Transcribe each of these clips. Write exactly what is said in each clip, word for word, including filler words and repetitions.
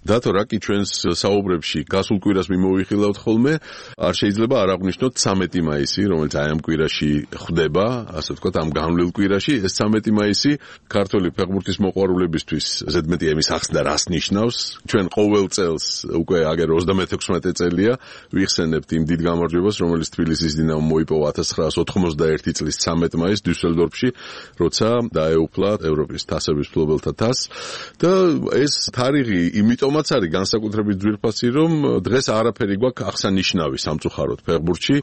დათო რაკი ჩვენს საუბრებში გასულ კვირას მიმოვიხილავთ ხოლმე, არ შეიძლება არ აღვნიშნოთ ცამეტი მაისი, რომელიც აი ამ კვირაში ხვდება, ასე ვთქვათ, ამ განვლილ კვირაში, ეს ცამეტი მაისი ქართველი ფეხბურთის მოყვარულებისთვის ზედმეტი ემის ახსნა რას ნიშნავს? ჩვენ ყოველ წელს უკვე აგერ ოცდამეთექვსმეტე წელია ვიხსენებთ იმ დიდ გამარჯვებას, რომელიც თბილისის დინამომ მოიპოვა ათას ცხრაას ოთხმოცდაერთი წლის ცამეტ მაისს დიუსელდორფში, როცა დაეუფლა ევროპის თასების მფლობელთა თასს და ეს თარიღი იმიტომაც არის განსაკუთრებით ძვირფასი, რომ დღეს არაფერი გვაქვს აღსანიშნავი სამწუხაროდ ფეხბურთში.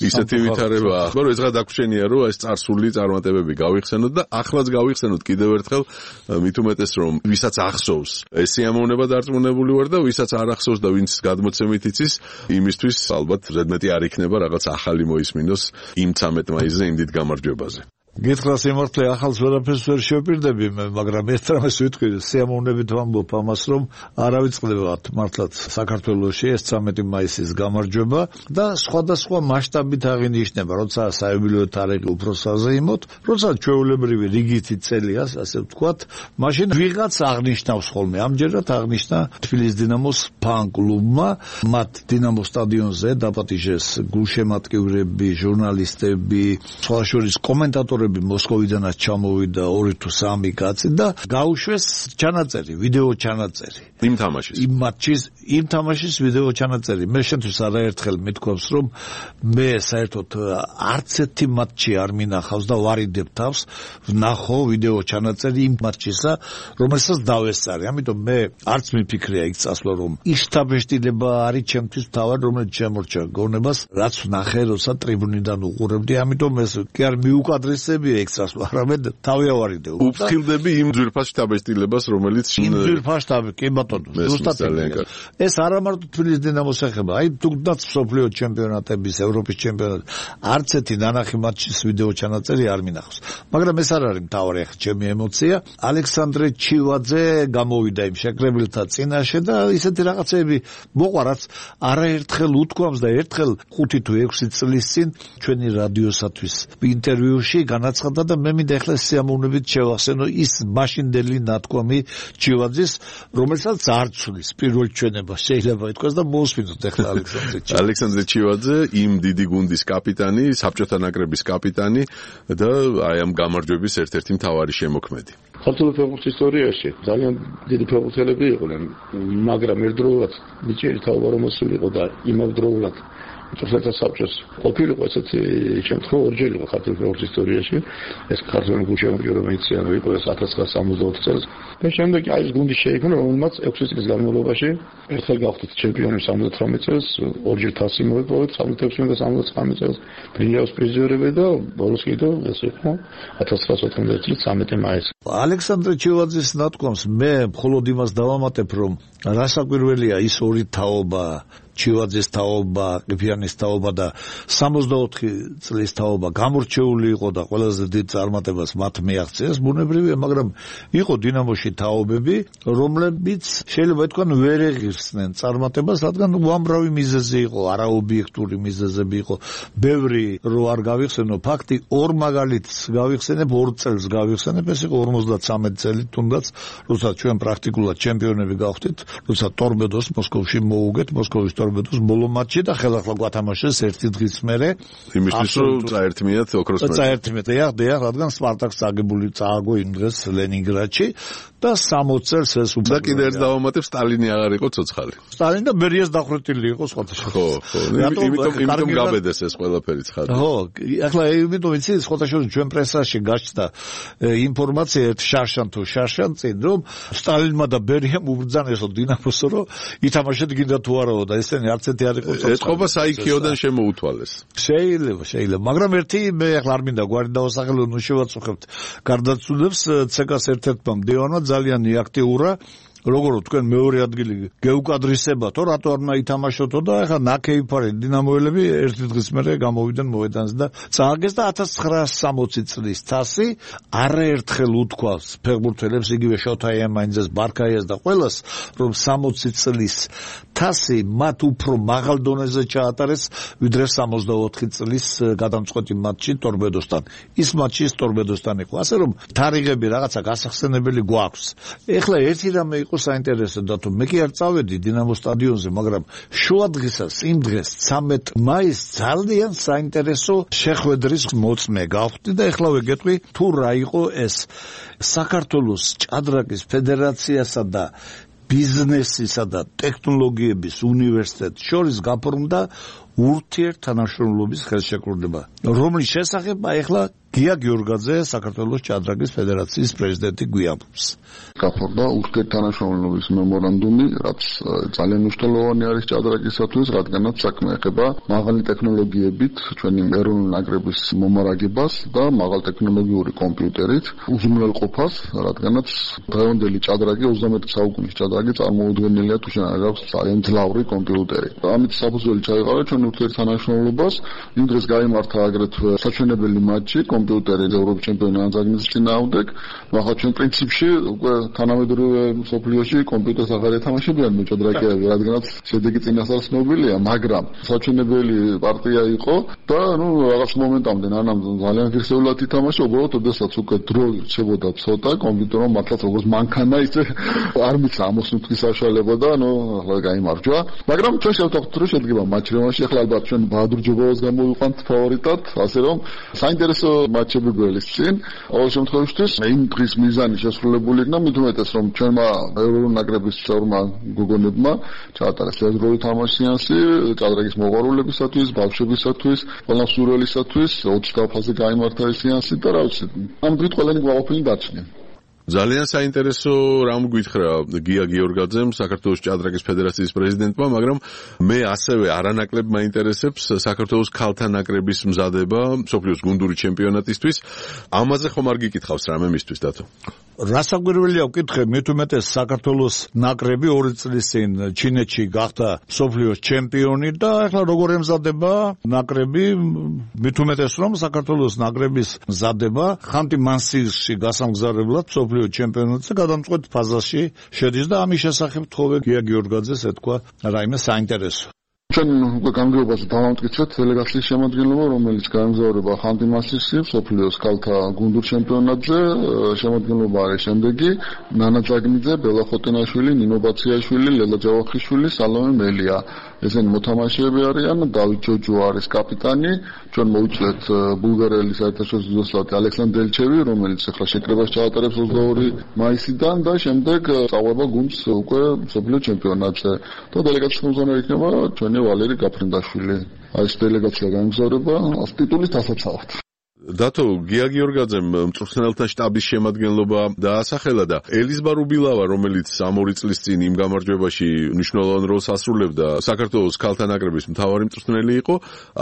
ისეთი ვითარება, მაგრამ ეს გადაგვრჩენია, რომ ეს წარსული წარმატებები გავიხსენოთ და ახლაც გავიხსენოთ კიდევ ერთხელ, მით უმეტეს რომ ვისაც ახსოვს ეს სიამოვნება დარწმუნებული ვარ და ვისაც არ ახსოვს და ვინც გადმოცემით იცის, იმისთვის ალბათ ზედმეტი არ იქნება რაღაც ახალი მოისმინოს იმ ცამეტ მაისზე იმ დიდ გამარჯვებაზე. გითხრა სიმართლე ახალს ვერაფერს ვერ შევპირდები, მაგრამ ერთ რამეს ვიტყვი, სიამოვნებით ვამბობ ამას, რომ არ ავიწყდებათ მართლაც საქართველოში ეს ცამეტი მაისის გამარჯვება და სხვადასხვა მასშტაბით აღინიშნება, როცა საიუბილეო თარიღი უფრო საზეიმოდ, როცა ჩვეულებრივი რიგითი წელია, ასე ვთქვათ, მაშინ ვიღაც აღნიშნავს ხოლმე. ამჯერად აღნიშნა თბილისის დინამოს ფან-კლუბმა, მათ დინამოს სტადიონზე დაპატიჟეს გულშემატკივრები, ჟურნალისტები, სხვა შორის კომენტატორები მოსკოვიდანაც ჩამოვიდა ორი თუ სამი კაცი და გაუშვეს ჩანაწერი, ვიდეო ჩანაწერი. იმ თამაშის. იმ მატჩის, იმ თამაშის ვიდეო ჩანაწერი. მე შენთვის არაერთხელ მithქვავს, რომ მე საერთოდ არც ერთი მატჩი არ მინახავს და ვარიდებ თავს, ვნახო ვიდეო ჩანაწერი იმ მატჩისა, რომელსაც დავესწარი. ამიტომ მე არც მიფიქრია იქ წასვლა, რომ ის შთაბეჭდილება არის ჩემთვის თავად, რომელიც შემორჩა გონებას, რაც ვნახე, როცა ტრიბუნიდან უყურებდი. ამიტომ ეს კი არ მიუკადრეს ექსტრას, არამედ თავი ავარიდე. უფრთხილდები იმ ძვირფას შთაბეჭდილებას, რომელიც იმ ძვირფას შტაბი, კი ბატონო, ზუსტად ეს არა მარტო თბილისის დინამოს ეხება, აი თუნდაც მსოფლიო ჩემპიონატების, ევროპის ჩემპიონატ, არც ერთი ნანახი მატჩის ვიდეო ჩანაწერი არ მინახავს. მაგრამ ეს არ არის მთავარი ახლა ჩემი ემოცია. ალექსანდრე ჩივაძე გამოვიდა იმ შეკრებილთა წინაშე და ისეთი რაღაცები მოყვა, რაც არაერთხელ უთქვამს და ერთხელ ხუთი თუ ექვსი წლის წინ ჩვენი რადიოსათვის ინტერვიუში განაცხადა და მე მინდა ახლა სიამოვნებით შევახსენო ის მაშინდელი ნათქვამი ჩივაძის, რომელსაც არ ცვლის პირველ ჩვენებას შეიძლება ითქვას და მოусმინოთ ახლა ალექსანდრე ჩივაძე. ალექსანდრე ჩივაძე იმ დიდი გუნდის კაპიტანი, საბჭოთა ნაკრების კაპიტანი და აი ამ გამარჯვების ერთ-ერთი მთავარი შემოქმედი. ქართული ფეხბურთის ისტორიაში ძალიან დიდი ფეხბურთელები იყვნენ, მაგრამ ერთდროულად ნიჭიერი თაობა რომ მოსულიყო და იმავდროულად თორსათა საბჭოს ყოფილიყო ესეთი შემთხვევა ორჯერ იყო ქართული ფეხბურთის ისტორიაში. ეს ქართული გულშემატკივრობა იყო ათას ცხრაას სამოცდაოთხ წელს და შემდეგ აი ეს გუნდი შეიქმნა, რომელმაც ექვსი წლის განმავლობაში ერთხელ გავხდით ჩემპიონი სამოცდათვრამეტ წელს, ორჯერ თასი მოიპოვეთ სამოცდაექვსმეტ და სამოცდათვრამეტ წელს ბრინჯაოს პრიზიორები და ბოლოს კიდევ ეს იყო ათას ცხრაას ოთხმოცდაერთი წლის ცამეტი მაისი. ალექსანდრე ჩივაძის ნათქვამს მე მხოლოდ იმას დავამატებ, რომ რასაკვირველია ის ორი თაობა, ჩივაძის თაობა, ყიფიანის თაობა და სამოცდაოთხი წლის თაობა გამორჩეული იყო და ყველაზე დიდ წარმატებას მათ მიაღწიეს ბუნებრივია, მაგრამ იყო დინამოში თაობები, რომლებიც შეიძლება ითქვან ვერ ეღირსნენ წარმატებას, რადგან უამრავი მიზეზი იყო, არაობიექტური მიზეზები იყო. ბევრი რო არ გავიხსენო ფაქტი, ორ მაგალითს გავიხსენებ, ორ წელს გავიხსენებ, ეს იყო ორმოცდათრამეტი წელი თუნდაც, როცა ჩვენ პრაქტიკულად ჩემპიონები გავხდით, როცა ტორპედოს მოსკოვში მოუგეთ, მოსკოვის ტორპედოს ბოლო მატჩი და ხელახლა გვათამაშეს ერთი დღის მერე. იმისთვის რომ წაერთმიათ ოქროს მედალი. წაერთმიათ, ეხ, ეხ, რადგან სპარტაკს წაგებული წააგო იმ დღეს ლენინგრადში და სამოცი წელს ეს უკვე და კიდევ ერთ დავამატებ, სტალინი აღარ იყო ცოცხალი. სტალინი და ბერიას დახრეტილი იყო სხვადასხვა. ხო, ხო. იმიტომ იმიტომ გაბედეს ეს ყველაფერი ცხადი. ხო, ახლა იმიტომ ვიცი, სხვადასხვა ჩვენ პრესაში გაჩნდა ინფორმაცია შარშან თუ შარშან წინ, რომ სტალინმა და ბერიამ უბრძანესო დინამოსო, რომ ითამაშეთ გინდა თუ არაო და ესენი არც ერთი არ იყო ცოცხალი. ეს ყოფა საიქიოდან შემოუთვალეს. შეიძლება, შეიძლება, მაგრამ ერთი მე ახლა არ მინდა გვარი დავასახელო, ნუ შევაწუხებთ გარდაცვლილებს ცეკას ერთ-ერთმა მდივანმა ძალიან იაქტიურა, როგორ თქვენ მეორე ადგილი გეუკადრისებათო, რატო არ მაითამაშოთო და ახლა ნაკეიფარი დინამოელები ერთი დღის მერე გამოვიდნენ მოედანზე და წააგეს და ათას ცხრაას სამოცი წლის თასი არაერთხელ უთქვავს ფეხბურთელებს, იგივე შოთა იამანიძეს, ბარქაიას და ყველას, რომ სამოცი წლის თასი მათ უფრო მაღალ დონეზე ჩაატარეს ვიდრე სამოცდაოთხი წლის გადამწყვეტი მატჩი ტორპედოსთან. ის მატჩი ის ტორპედოსთან იყო. ასე რომ თარიღები რაღაცა გასახსენებელი გვაქვს. ეხლა ერთი რამე იყო საინტერესო დათო, მე კი არ წავედი დინამოს სტადიონზე, მაგრამ შუადღისას იმ დღეს ცამეტ მაისს ძალიან საინტერესო შეხვედრის მოწმე გავხდი და ეხლა ვეგეტყვი თუ რა იყო ეს საქართველოს ჭადრაკის ფედერაციასა და ბიზნესისა და ტექნოლოგიების უნივერსიტეტს შორის გაფორმდა ურთიერთთანამშრომლობის ხელშეკრულება, რომლის შესახებ ახლა გია გიორგაძე საქართველოს ჭადრაკის ფედერაციის პრეზიდენტი გვიამბობს. გაფორმდა ურთიერთთანამშრომლობის მემორანდუმი, რაც ძალიან მნიშვნელოვანი არის ჭადრაკისათვის, რადგანაც საქმე ეხება მაღალი ტექნოლოგიებით ჩვენი ეროვნული ნაკრების მომარაგებას და მაღალტექნოლოგიური კომპიუტერით უზრუნველყოფას, რადგანაც დღევანდელი ჭადრაკი ოცდამეტი საუკუნის ჭადრაკი წარმოუდგენელია თუ შენ არ აქვს ძალიან ძლავრი კომპიუტერი. ამით საფუძველი ჩაიყარა ჩვენ ურთიერთთანამშრომლობას. იმ დღეს გაიმართა აგრეთვე საჩვენებელი მატჩი კომპიუტერი ევროპის ჩემპიონატის ანძაგნის წინააღმდეგ. ახლა ჩვენ პრინციპში უკვე თანამედროვე მსოფლიოში კომპიუტერს აღარ ეთამაშებიან მოჭადრაკეები, რადგანაც შედეგი წინასწარ ცნობილია, მაგრამ საჩვენებელი პარტია იყო და ნუ რაღაც მომენტამდე ანამ ძალიან ღირსეულად ითამაშა, უბრალოდ ოდესაც უკვე დრო რჩებოდა ცოტა კომპიუტერმა მართლაც როგორც მანქანა ისე არ მიცდა ამოსუნთქვის საშუალება და ნუ ახლა გაიმარჯვა, მაგრამ ჩვენ შევთანხმდით რომ შედგება მაჩრევაში. ახლა ალბათ ჩვენ ბაადურ ჯობოვას გამოვიყვანთ ფავორიტად, ასე რომ საინტერესო მატჩები გველის წინ. ყოველ შემთხვევაში იმ დღის მიზანი შესრულებული იქნა, მით უმეტეს რომ ჩვენმა ეროვნული ნაკრების წევრმა გოგონებმა ჩაატარეს ერთდროული თამაშის სეანსი ჭადრაკის მოყვარულებისათვის, ბავშვებისათვის, ყველა მსურველისათვის. ოცი დაფაზე გაიმართა ეს სეანსი და რა ვიცი, ამ დღით ყველანი გვაყოფილი დარჩნენ. ძალიან საინტერესო რამ გითხრა გია გიორგაძემ, საქართველოს ჭადრაკის ფედერაციის პრეზიდენტმა, მაგრამ მე ასევე არანაკლებ მაინტერესებს საქართველოს ქალთა ნაკრების მზადება მსოფლიოს გუნდური ჩემპიონატისთვის. ამაზე ხომ არ გიკითხავს რამე მისთვის დათო? რასაკვირველია ვკითხე, მით უმეტეს საქართველოს ნაკრები ორი წლის წინ ჩინეთში გახდა მსოფლიოს ჩემპიონი და ახლა როგორ ემზადება ნაკრები, მით უმეტეს რომ საქართველოს ნაკრების მზადება ხანტი-მანსიისში გასამგზავრებლად მსოფლიოს ჩემპიონატზე გადამწყვეტ ფაზაში შედის და ამის შესახებ თხოვე გია გიორგაძეს ეთქვა რაიმე საინტერესო. ჩვენ უკვე გამგეობაში დავამტკიცეთ დელეგაციის შემადგენლობა, რომელიც გაემგზავრება ხანტი-მანსიისში მსოფლიოს ქალთა გუნდურ ჩემპიონატზე. შემადგენლობა არის შემდეგი: ნანა ძაგნიძე, ბელა ხოტენაშვილი, ნინო ბაციაშვილი, ლელა ჯავახიშვილი, სალომე მელია. ესენი მოთამაშეები არიან. დავით ჯოჯო არის კაპიტანი. ჩვენ მოვიწვეთ ბულგარელი საერთაშორისო დოსალტი ალექსანდრ დელჩევი, რომელიც ახლა შეკრებას ჩაატარებს ოცდაორი მაისიდან და შემდეგ წავება გუნდს უკვე მსოფლიო ჩემპიონატზე. და დელეგაციის ხელმძღვანელი იქნება ჩვენი ვალერი გაფრინდაშვილი. აი ეს დელეგაცია გაემგზავრება ტიტულის დასაცავად. დათო, გია გიორგაძემ მწვრთნელთა შტაბის შემადგენლობა დაასახელა და ელიზბარ უბილავა, რომელიც ამ ორი წლის წინ იმ გამარჯვებაში მნიშვნელოვან როლს ასრულებდა, საქართველოს ქალთა ნაკრების მთავარი მწვრთნელი იყო,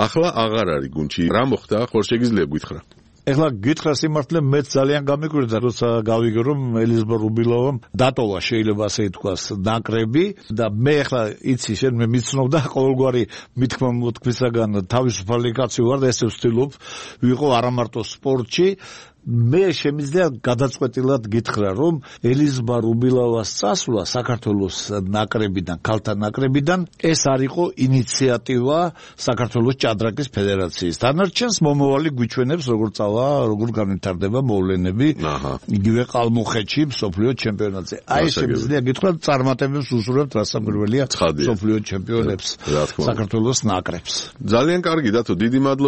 ახლა აღარ არის გუნდში. რა მოხდა? ხორ შეგიძლია გითხრა? ეხლა გითხრა სიმართლე, მეც ძალიან გამიკვირდა, როცა გავიგე რომ ელიზბარ უბილავამ დატოვა, შეიძლება ასე ითქვას, ნაკრები და მე ეხლა იცი, შენ მე მიცნობდა ყოველგვარი მithქმა მოთქვისაგან თავისუფალი კაცი ვარ და ესე ვცდილობ ვიყო არა მარტო სპორტში. მე შემიძლია გადაწყვეტილად გითხრა, რომ ელიზბარ უბილავას წასვლა საქართველოს ნაკრებიდან, ქალთა ნაკრებიდან ეს არ იყო ინიციატივა საქართველოს ჭადრაკის ფედერაციის. დანარჩენს მომავალი გვიჩვენებს, როგორ წავა, როგორ განვითარდება მოვლენები იგივე ყალმუხეთში მსოფლიო ჩემპიონატზე. აი შემიძლია გითხრა, წარმატებებს უსურვებთ რასაკვირველია მსოფლიო ჩემპიონებს საქართველოს ნაკრებს. ძალიან კარგი დათო, დიდი მადლობა.